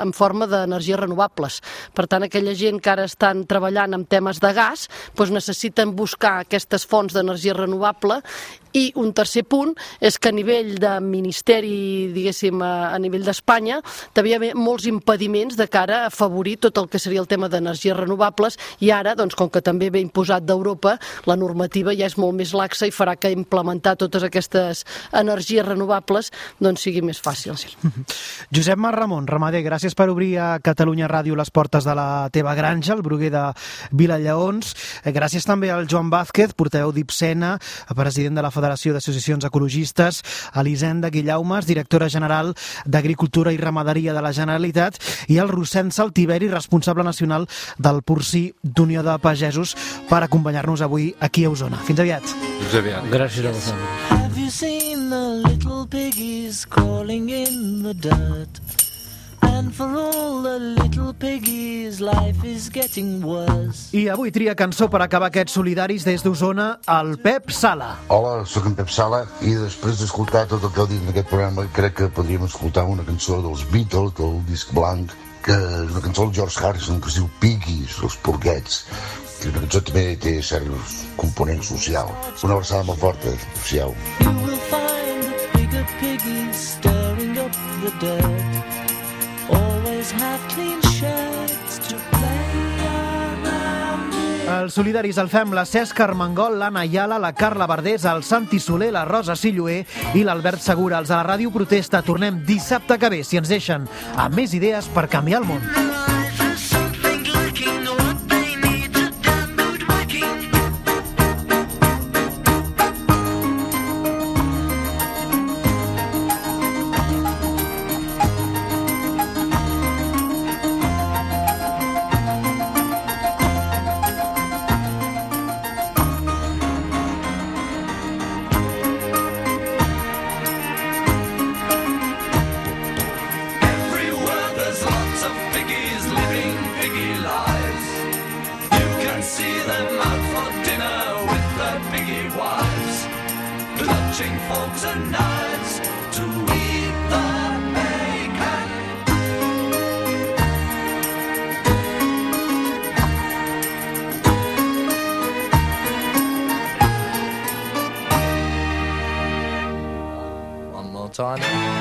en forma d'energies renovables. Per tant, aquella gent que ara estan treballant en temes de gas, necessiten buscar aquestes fonts d'energia renovable. I un tercer punt és que a nivell de ministeri, diguéssim, a nivell d'Espanya, també hi ha molts impediments de cara a afavorir tot el que seria el tema d'energies renovables, i ara, com que també ve imposat d'Europa, la normativa ja és molt més laxa i farà que implementar totes aquestes energies renovables sigui més fàcil.
Josep Mar Ramon, ramader, gràcies per obrir a Catalunya Ràdio les portes de la teva granja, el Bruguer de Vilallaons. Gràcies també al Joan Vázquez, portaveu d'Ipsena, president de la Federació d'Associacions Ecologistes, Elisenda Guillaumes, directora general d'Agricultura i Ramaderia de la Generalitat, i el Rossend Saltiveri, responsable nacional del Porcí d'Unió de Pagesos, per acompanyar-nos avui aquí a Osona. Fins aviat.
Fins aviat.
Gràcies a vosaltres.
Have you seen the little piggies crawling in the dirt? And for all the little piggies, life is getting worse.
I avui tria cançó per acabar aquests solidaris des d'Osona, el Pep Sala.
Hola, sóc en Pep Sala, i després d'escoltar tot el que heu dit en aquest programa, crec que podríem escoltar una cançó dels Beatles, del disc blanc, que és una cançó del George Harrison, que es diu Piggies, els porquets, que una cançó també té cert component social. Una abraçada molt forta, social.
You will find the bigger piggies stirring up the dirt. Always have clean shirts to play around with.
Els solidaris el fem la Cesc Armengol, l'Anna Ayala, la Carla Verdés, el Santi Soler, la Rosa Silloé i l'Albert Segura. Els de la Ràdio Protesta tornem dissabte que ve, si ens deixen, amb més idees per canviar el món.
Forks and knives to eat the bacon. One more time.